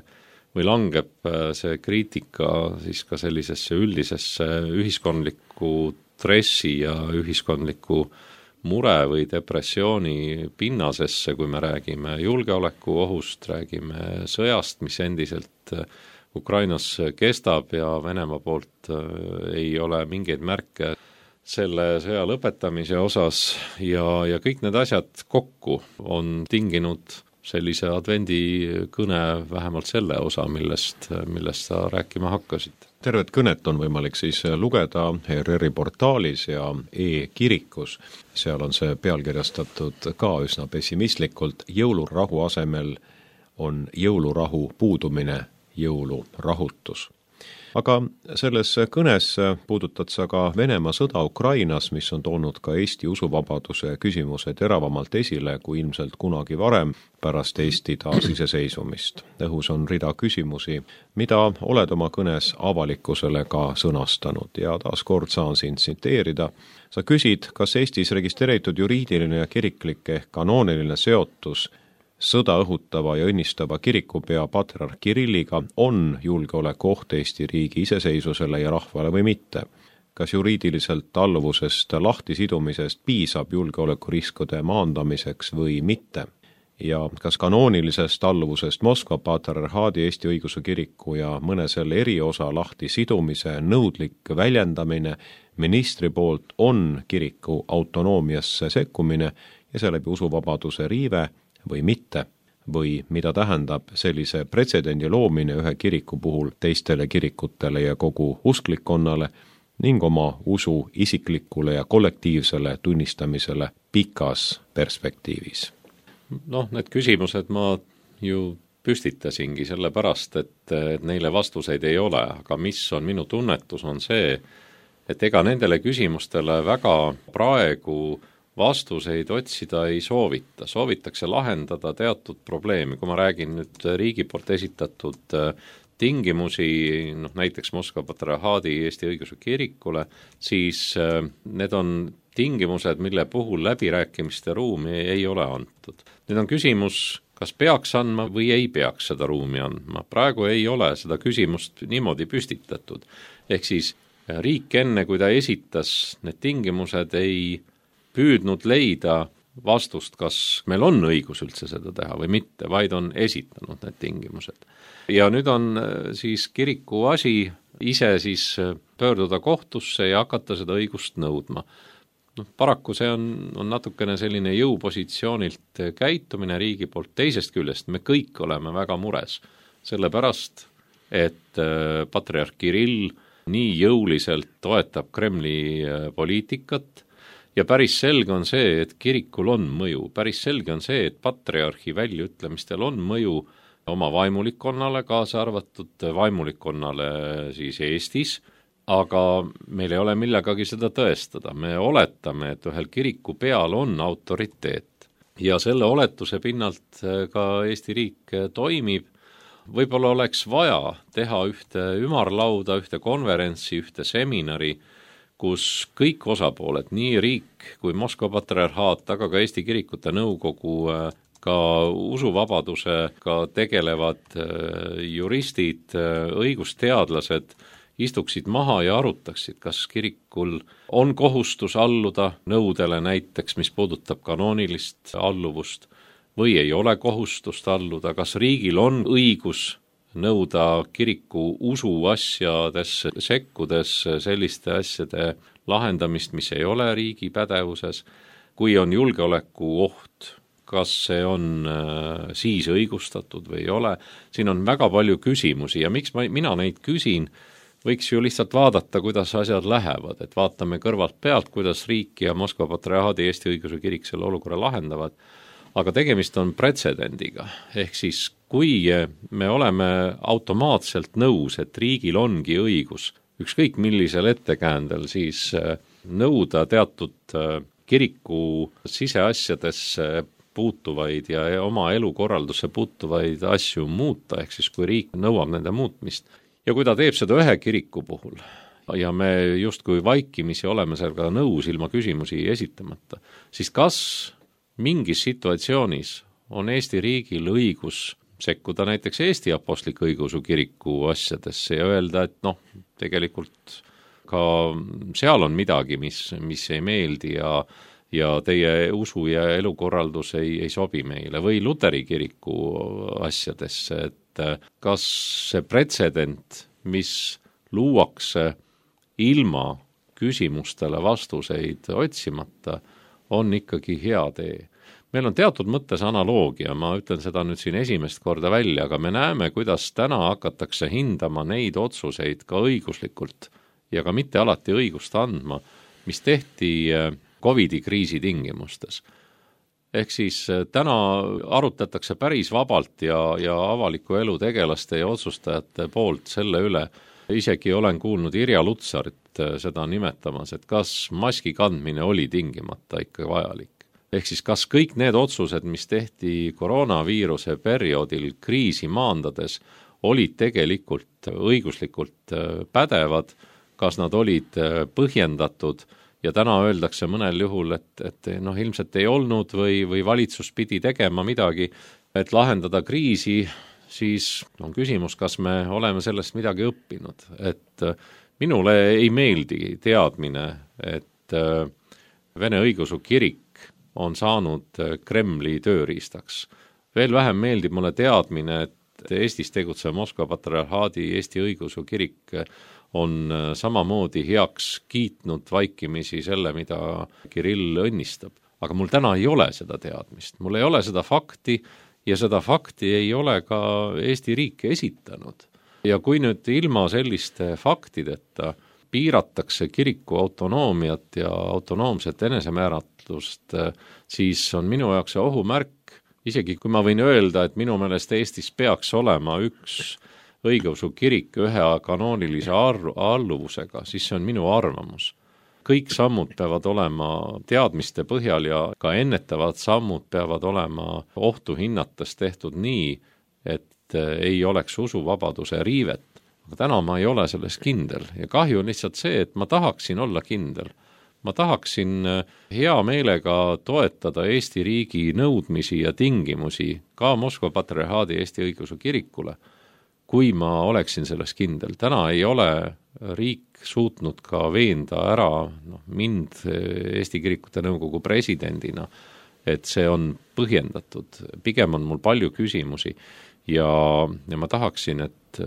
või langeb see kriitika siis ka sellisesse üldisesse ühiskondliku stressi ja ühiskondliku mure või depressiooni pinnasesse, kui me räägime julgeolekuohust, räägime sõjast, mis endiselt Ukrainas kestab ja Venemaa poolt ei ole mingeid märke selle sõja lõpetamise osas ja kõik need asjad kokku on tinginud sellise advendikõne vähemalt selle osa, millest sa rääkima hakkasid. Tervet kõnet on võimalik siis lugeda ERR-i portaalis ja e-kirikus. Seal on see pealkirjastatud ka üsna pessimistlikult. Jõulurahu asemel on jõulurahu puudumine, jõulurahutus. Aga selles kõnes puudutad sa ka Venemaa sõda Ukrainas, mis on toonud ka Eesti usuvabaduse küsimuse teravamalt esile kui ilmselt kunagi varem pärast Eesti taasiseseisvumist. Õhus on rida küsimusi, mida oled oma kõnes avalikkusele ka sõnastanud ja taas kord saan sind tsiteerida. Sa küsid, kas Eestis registreeritud juriidiline ja kiriklik ehk kanooniline seotus sõda õhutava ja õnnistava kirikupea patriarh Kirilliga on julgeolekuoht Eesti riigi iseseisvusele ja rahvale või mitte? Kas juriidiliselt alluvusest lahtisidumisest piisab julgeolekuriskide maandamiseks või mitte? Ja kas kanoonilisest alluvusest Moskva patriarhaadi Eesti õigeusu kiriku ja mõne selle eriosa lahtisidumise nõudlik väljendamine ministri poolt on kiriku autonoomiasse sekkumine ja seeläbi usuvabaduse riive või mitte, või mida tähendab sellise pretsedendi loomine ühe kiriku puhul teistele kirikutele ja kogu usklikkonnale ning oma usu isiklikule ja kollektiivsele tunnistamisele pikas perspektiivis. Need küsimused ma ju püstitasingi sellepärast, et neile vastuseid ei ole, aga mis on minu tunnetus on see, et ega nendele küsimustele väga praegu vastuseid otsida ei soovita. Soovitakse lahendada teatud probleemi. Kui ma räägin nüüd riigi poolt esitatud tingimusi, näiteks Moskva patriarhaadi Eesti õigeusu kirikule, siis need on tingimused, mille puhul läbirääkimiste ruumi ei ole antud. Nüüd on küsimus, kas peaks andma või ei peaks seda ruumi andma. Praegu ei ole seda küsimust niimoodi püstitatud. Ehk siis riik enne, kui ta esitas need tingimused, ei püüdnud leida vastust, kas meil on õigus üldse seda teha või mitte, vaid on esitanud need tingimused. Ja nüüd on siis kiriku asi ise siis pöörduda kohtusse ja hakata seda õigust nõudma. Paraku see on natukene selline jõupositsioonilt käitumine riigi poolt. Teisest küljest me kõik oleme väga mures, sellepärast, et patriarh Kirill nii jõuliselt toetab Kremli poliitikat ja päris selge on see, et kirikul on mõju. Päris selge on see, et patriarhi väljaütlemistel on mõju oma vaimulikkonnale, kaasa arvatud vaimulikkonnale siis Eestis, aga meil ei ole millegagi seda tõestada. Me oletame, et ühel kiriku peal on autoriteet ja selle oletuse pinnalt ka Eesti riik toimib. Võib-olla oleks vaja teha ühte ümarlauda, ühte konverentsi, ühte seminari, kus kõik osapooled, nii riik kui Moskva patriarhaat, aga ka Eesti kirikute nõukogu, ka usuvabadusega tegelevad juristid, õigusteadlased istuksid maha ja arutaksid, kas kirikul on kohustus alluda nõudele näiteks, mis puudutab kanoonilist alluvust, või ei ole kohustust alluda, kas riigil on õigus nõuda kiriku usuasjadesse sekkudes selliste asjade lahendamist, mis ei ole riigi pädevuses, kui on julgeolekuoht, kas see on siis õigustatud või ei ole. Siin on väga palju küsimusi ja miks mina neid küsin, võiks ju lihtsalt vaadata, kuidas asjad lähevad, et vaatame kõrvalt pealt, kuidas riik ja Moskva patriarhaadi Eesti õigeusu kirik selle olukorra lahendavad. aga tegemist on pretsedendiga. Ehk siis, kui me oleme automaatselt nõus, et riigil ongi õigus ükskõik millisel ettekäändel siis nõuda teatud kiriku siseasjadesse puutuvaid ja oma elukorraldusse puutuvaid asju muuta, ehk siis kui riik nõuab nende muutmist. Ja kui ta teeb seda ühe kiriku puhul ja me justkui vaikimisi oleme sellega nõus ilma küsimusi esitamata, siis kas mingis situatsioonis on Eesti riigil õigus sekkuda näiteks Eesti Apostlik-Õigeusu Kiriku asjadesse ja öelda, et tegelikult ka seal on midagi, mis ei meeldi ja teie usu ja elukorraldus ei sobi meile, või Luteri kiriku asjadesse, et kas see pretsedent, mis luuakse ilma küsimustele vastuseid otsimata, on ikkagi hea tee. Meil on teatud mõttes analoogia, ma ütlen seda nüüd siin esimest korda välja, aga me näeme, kuidas täna hakatakse hindama neid otsuseid ka õiguslikult ja ka mitte alati õigust andma, mis tehti COVID-i kriisi tingimustes. Ehk siis täna arutatakse päris vabalt ja avaliku elu tegelaste ja otsustajate poolt selle üle. Isegi olen kuulnud Irja Lutsarit seda nimetamas, et kas maski kandmine oli tingimata ikka vajalik. Ehk siis kas kõik need otsused, mis tehti koroonaviiruse perioodil kriisi maandades, olid tegelikult õiguslikult pädevad, kas nad olid põhjendatud ja täna öeldakse mõnel juhul, et ilmselt ei olnud või valitsus pidi tegema midagi, et lahendada kriisi, siis on küsimus, kas me oleme sellest midagi õppinud. Et minule ei meeldi teadmine, et Vene Õigeusu Kirik on saanud Kremli tööriistaks. Veel vähem meeldib mulle teadmine, et Eestis tegutsev Moskva patriarhaadi Eesti Õigeusu Kirik on samamoodi heaks kiitnud vaikimisi selle, mida Kirill õnnistab. Aga mul täna ei ole seda teadmist, mul ei ole seda fakti ja seda fakti ei ole ka Eesti riik esitanud. Ja kui nüüd ilma selliste faktideta piiratakse kiriku autonoomiat ja autonoomset enesemääratlust, siis on minu jaoks see ohumärk, isegi kui ma võin öelda, et minu meelest Eestis peaks olema üks õigeusu kirik ühe kanoonilise alluvusega, siis see on minu arvamus. Kõik sammud peavad olema teadmiste põhjal ja ka ennetavad sammud peavad olema ohtu hinnates tehtud nii, et ei oleks usuvabaduse riivet. Aga täna ma ei ole selles kindel ja kahju on lihtsalt see, et ma tahaksin olla kindel. Ma tahaksin hea meelega toetada Eesti riigi nõudmisi ja tingimusi ka Moskva patriarhaadi Eesti Õigeusu Kirikule, kui ma oleksin selles kindel. Täna ei ole riik suutnud ka veenda ära mind Eesti Kirikute Nõukogu presidendina, et see on põhjendatud. Pigem on mul palju küsimusi ja ma tahaksin, et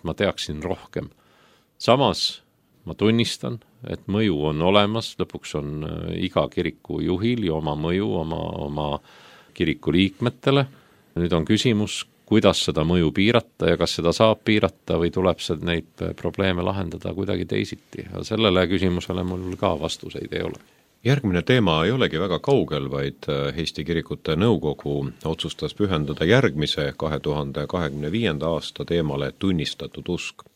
ma teaksin rohkem. Samas ma tunnistan, et mõju on olemas, lõpuks on iga kiriku juhil ja oma mõju oma kiriku liikmetele. Nüüd on küsimus, kuidas seda mõju piirata ja kas seda saab piirata või tuleb neid probleeme lahendada kuidagi teisiti. Ja sellele küsimusele mul ka vastuseid ei ole. Järgmine teema ei olegi väga kaugel, vaid Eesti Kirikute Nõukogu otsustas pühendada järgmise 2025. aasta teemale tunnistatud usk.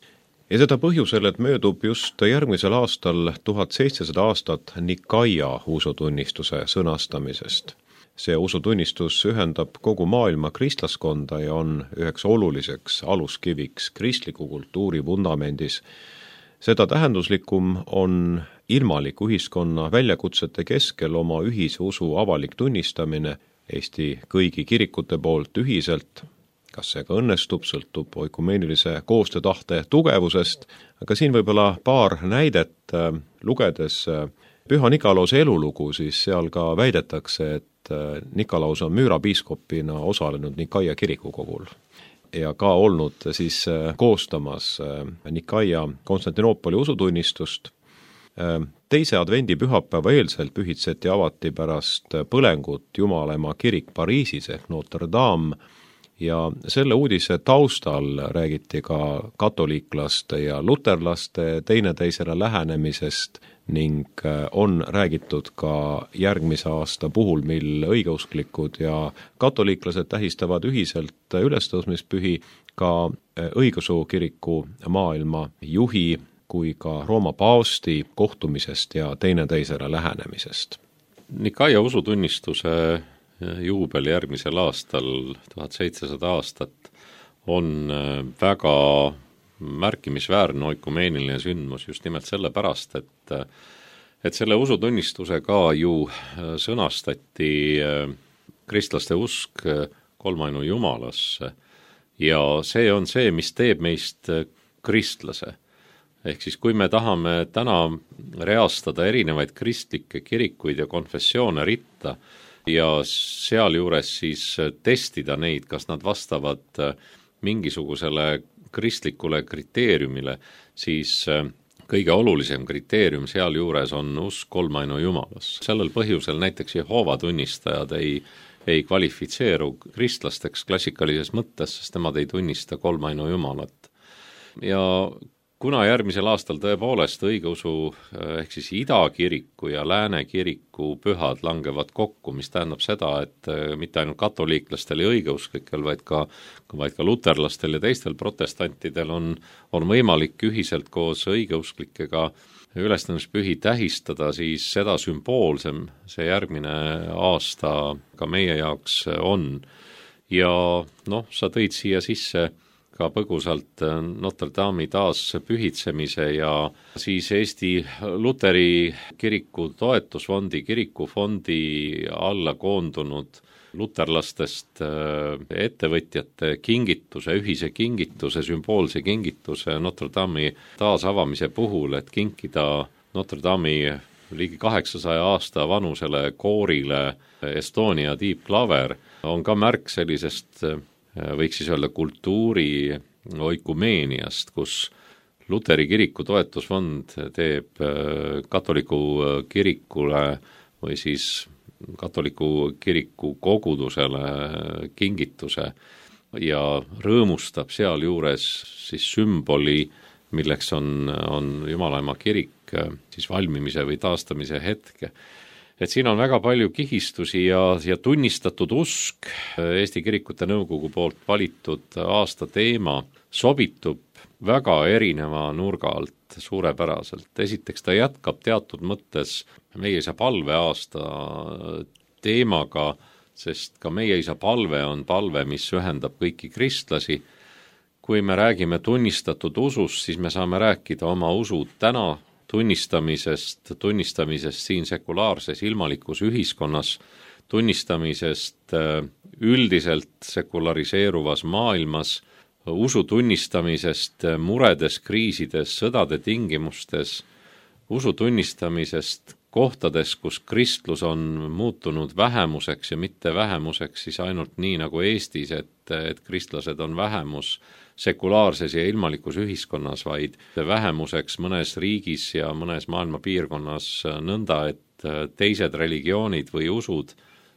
Ja seda põhjusel, et möödub just järgmisel aastal 1700 aastat Nikaia usutunnistuse sõnastamisest. See usutunnistus ühendab kogu maailma kristlaskonda ja on üheks oluliseks aluskiviks kristliku kultuuri vundamendis. Seda tähenduslikum on ilmaliku ühiskonna väljakutsete keskel oma ühise usu avalik tunnistamine Eesti kõigi kirikute poolt ühiselt. Kas see ka õnnestub, sõltub oikumeenilise koostöötahte tugevusest, aga siin võib-olla paar näidet lugedes Püha Nikolause elulugu, siis seal ka väidetakse, et Nikolaus on Müüra piiskopina osalenud Nikaia kirikukogul ja ka olnud siis koostamas Nikaia Konstantinoopoli usutunnistust. Teise advendi pühapäeva eelselt pühitseti avati pärast põlengut Jumalaema kirik Pariisis ehk Notre Dame ja selle uudise taustal räägiti ka katoliiklaste ja luterlaste teineteisele lähenemisest ning on räägitud ka järgmise aasta puhul, mil õigeusklikud ja katoliiklased tähistavad ühiselt ülestõusmispühi, ka õigeusu kiriku maailma juhi kui ka Rooma paavsti kohtumisest ja teineteisele lähenemisest. Nikaia usutunnistuse juubel järgmisel aastal, 1700 aastat, on väga märkimisväärne oikumeeniline sündmus just nimelt sellepärast, et selle usutunnistuse ka ju sõnastati kristlaste usk kolmainu Jumalasse ja see on see, mis teeb meist kristlase. Ehk siis kui me tahame täna reastada erinevaid kristlikke kirikuid ja konfessioone ritta ja sealjuures siis testida neid, kas nad vastavad mingisugusele kristlikule kriteeriumile, siis kõige olulisem kriteerium sealjuures on usk kolmainu Jumalas. Sellel põhjusel näiteks Jehoova tunnistajad ei kvalifitseeru kristlasteks klassikalises mõttes, sest nemad ei tunnista kolmainu Jumalat. Ja kuna järgmisel aastal tõepoolest õigeusu ehk siis idakiriku ja lääne kiriku pühad langevad kokku, mis tähendab seda, et mitte ainult katoliiklastel ja õigeusklikel, vaid ka luterlastel ja teistel protestantidel on võimalik ühiselt koos õigeusklikega ülestõusmispühi tähistada, siis seda sümboolsem see järgmine aasta ka meie jaoks on. Ja sa tõid siia sisse ka põgusalt Notre Dame'i taas pühitsemise ja siis Eesti Luteri kiriku toetusfondi, kirikufondi alla koondunud luterlastest ettevõtjate kingituse, ühise kingituse, sümboolse kingituse Notre Dame'i taasavamise puhul, et kinkida Notre Dame'i ligi 800 aasta vanusele koorile Estonia tiibklaver, on ka märk sellisest võiks siis öelda kultuuri oikumeeniast, kus Luteri kiriku toetusfond teeb katoliku kirikule või siis katoliku kiriku kogudusele kingituse ja rõõmustab sealjuures siis sümboli, milleks on Jumalaema kirik siis valmimise või taastamise hetke. Et siin on väga palju kihistusi ja tunnistatud usk, Eesti Kirikute Nõukogu poolt valitud aasta teema sobitub väga erineva nurga alt suurepäraselt. Esiteks ta jätkab teatud mõttes meie isa palveaasta teemaga, sest ka meie isa palve on palve, mis ühendab kõiki kristlasi. Kui me räägime tunnistatud usust, siis me saame rääkida oma usu täna tunnistamisest siin sekulaarses ilmalikus ühiskonnas, tunnistamisest üldiselt sekulariseeruvas maailmas, usu tunnistamisest muredes, kriisides, sõdade tingimustes, usu tunnistamisest kohtades, kus kristlus on muutunud vähemuseks ja mitte vähemuseks siis ainult nii nagu Eestis, et kristlased on vähemus sekulaarses ja ilmalikus ühiskonnas, vaid vähemuseks mõnes riigis ja mõnes maailma piirkonnas nõnda, et teised religioonid või usud,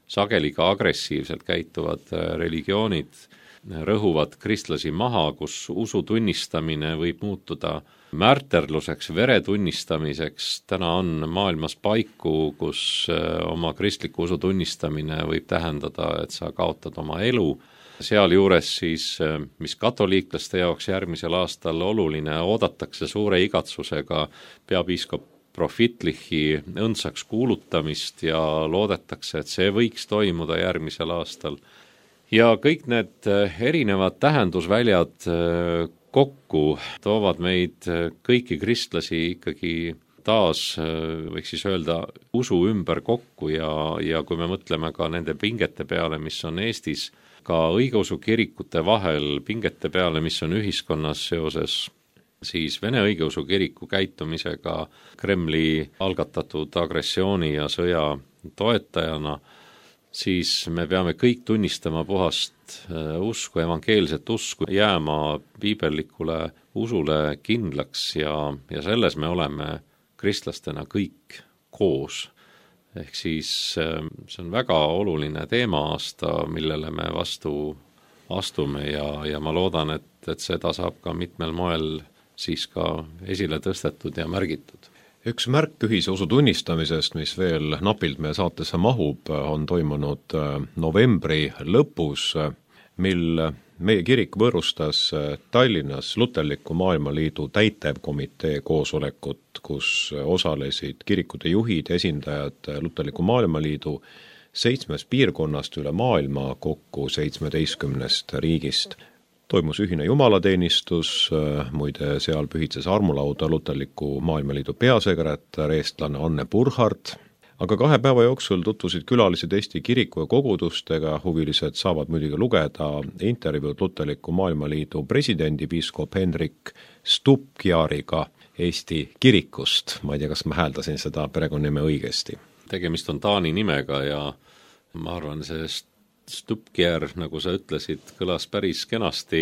sageli ka agressiivselt käituvad religioonid, rõhuvad kristlasi maha, kus usu tunnistamine võib muutuda märterluseks, vere tunnistamiseks. Täna on maailmas paiku, kus oma kristliku usu tunnistamine võib tähendada, et sa kaotad oma elu. Sealjuures siis, mis katoliiklaste jaoks järgmisel aastal oluline, oodatakse suure igatsusega peapiiskop Profitlichi õndsaks kuulutamist ja loodetakse, et see võiks toimuda järgmisel aastal. Ja kõik need erinevad tähendusväljad kokku toovad meid kõiki kristlasi ikkagi taas, võiks siis öelda, usu ümber kokku ja kui me mõtleme ka nende pingete peale, mis on Eestis, ka õigeusu kirikute vahel, pingete peale, mis on ühiskonnas seoses siis Vene õigeusu kiriku käitumisega Kremli algatatud agressiooni ja sõja toetajana, siis me peame kõik tunnistama puhast usku, evangeelset usku, jääma piibellikule usule kindlaks ja selles me oleme kristlastena kõik koos. Ehk siis see on väga oluline teema-aasta, millele me vastu astume ja ma loodan, et seda saab ka mitmel moel siis ka esile tõstetud ja märgitud. Üks märk ühise usu tunnistamisest, mis veel napilt meie saatesse mahub, on toimunud novembri lõpus, mil meie kirik võõrustas Tallinnas Luterliku Maailmaliidu täitevkomitee koosolekut, kus osalesid kirikute juhid, esindajad Luterliku Maailmaliidu 7 piirkonnast üle maailma, kokku 17 riigist. Toimus ühine jumalateenistus, muide seal pühitses armulauda Luterliku Maailmaliidu peasekretär, eestlane Anne Burhard, aga 2 päeva jooksul tutvusid külalised Eesti kiriku ja kogudustega, huvilised saavad muidugi lugeda intervjuud Luterliku Maailmaliidu presidendi piiskop Henrik Stubkjariga Eesti kirikust. Ma ei tea, kas ma hääldasin seda perekonnanime õigesti. Tegemist on taani nimega ja ma arvan, see Stubkjär, nagu sa ütlesid, kõlas päris kenasti.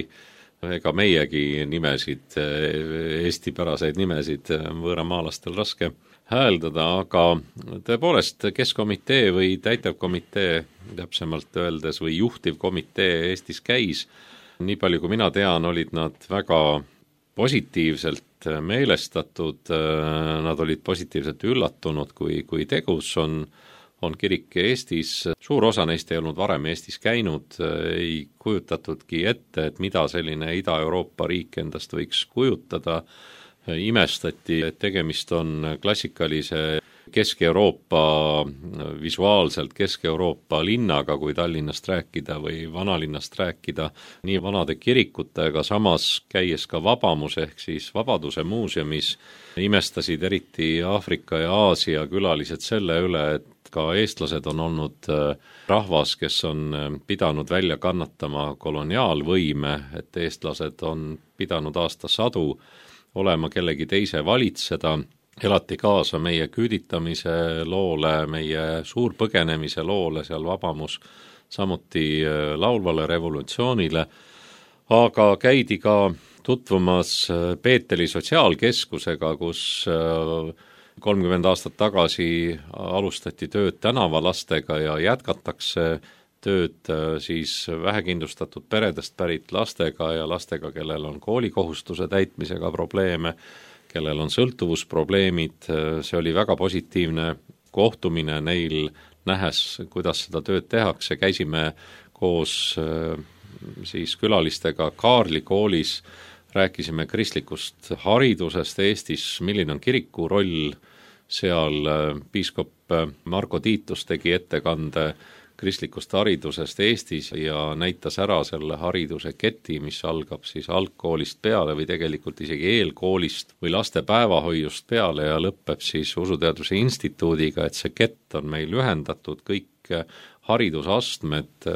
Ega meiegi nimesid, eestipäraseid nimesid võõramaalastel raske hääldada, aga tõepoolest keskkomitee või täitevkomitee, täpsemalt öeldes, või juhtivkomitee Eestis käis. Nii palju kui mina tean, olid nad väga positiivselt meelestatud, nad olid positiivselt üllatunud, kui tegus on kirik Eestis. Suur osa neist ei olnud varem Eestis käinud, ei kujutatudki ette, et mida selline Ida-Euroopa riik endast võiks kujutada. Imestati, et tegemist on klassikalise Kesk-Euroopa, visuaalselt Kesk-Euroopa linnaga, kui Tallinnast rääkida või vanalinnast rääkida, nii vanade kirikutega, samas käies ka Vabamus ehk siis Vabaduse muuseumis, imestasid eriti Aafrika ja Aasia külalised selle üle, et ka eestlased on olnud rahvas, kes on pidanud välja kannatama koloniaalvõime, et eestlased on pidanud aastasadu olema kellegi teise valitseda, elati kaasa meie küüditamise loole, meie suurpõgenemise loole seal Vabamus, samuti laulvale revolutsioonile, aga käidi ka tutvumas Peeteli sotsiaalkeskusega, kus 30 aastat tagasi alustati tööd tänavalastega ja jätkatakse tööd siis vähekindlustatud peredest pärit lastega ja lastega, kellel on koolikohustuse täitmisega probleeme, kellel on sõltuvusprobleemid. See oli väga positiivne kohtumine neil, nähes, kuidas seda tööd tehakse. Käisime koos siis külalistega Kaarli koolis, rääkisime kristlikust haridusest Eestis, milline on kiriku roll seal. Piiskop Marko Tiitus tegi ettekande kristlikust haridusest Eestis ja näitas ära selle hariduse keti, mis algab siis algkoolist peale või tegelikult isegi eelkoolist või laste päevahoiust peale ja lõpeb siis Usuteaduse Instituudiga, et see kett on meil ühendatud, kõik haridusastmed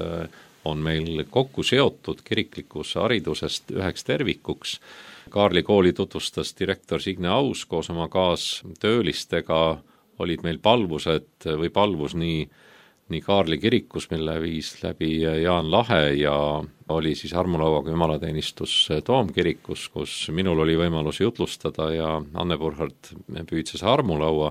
on meil kokku seotud kiriklikus haridusest üheks tervikuks. Kaarli kooli tutvustas direktor Signe Aus koos oma kaastöölistega, olid meil palvused või palvus nii Kaarli kirikus, mille viis läbi Jaan Lahe ja oli siis armulauaga jumalateenistus Toomkirikus, kus minul oli võimalus jutlustada ja Anne Burhard püüdses armulaua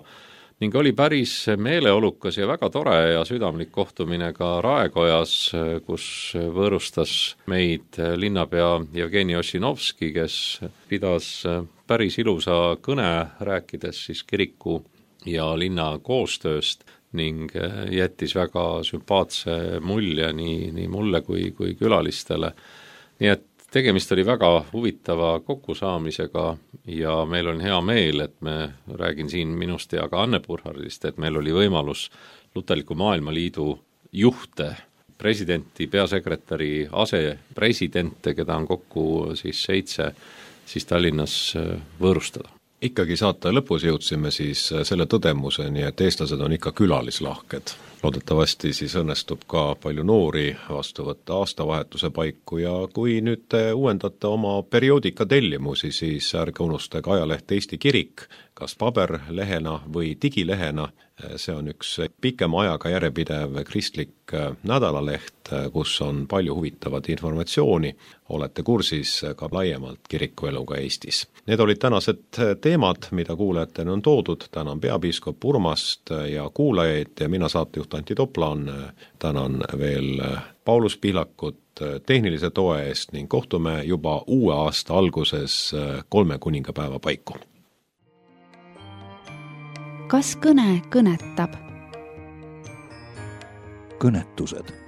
ning oli päris meeleolukas ja väga tore ja südamlik kohtumine ka Raekojas, kus võõrustas meid linnapea Jevgeni Ossinovski, kes pidas päris ilusa kõne, rääkides siis kiriku ja linna koostööst ning jättis väga sümpaatse mulje nii mulle kui külalistele. Nii et tegemist oli väga huvitava kokkusaamisega ja meil on hea meel, et me räägin siin minust ja ka Anne Burhardist, et meil oli võimalus Luterliku Maailmaliidu juhte, presidenti, peasekretäri, asepresidente, keda on kokku siis 7, siis Tallinnas võõrustada. Ikkagi saate lõpus jõudsime siis selle tõdemuseni, et eestlased on ikka külalislahked. Loodetavasti siis õnnestub ka palju noori vastu võtta aastavahetuse paiku ja kui nüüd te uuendate oma perioodika tellimusi, siis ärge unustage ajaleht Eesti Kirik, kas paberlehena või digilehena. See on üks pikema ajaga järjepidev kristlik nädalaleht, kus on palju huvitavat informatsiooni. Olete kursis ka laiemalt kirikueluga Eestis. Need olid tänased teemad, mida kuulajatena on toodud. Tänan peapiiskop Urmast ja kuulajaid ja mina saatejuht Antti Toplan. Tänan veel Paulus Pihlakut tehnilise toe eest ning kohtume juba uue aasta alguses 3 kuningapäeva paiku. Kas kõne kõnetab? Kõnetused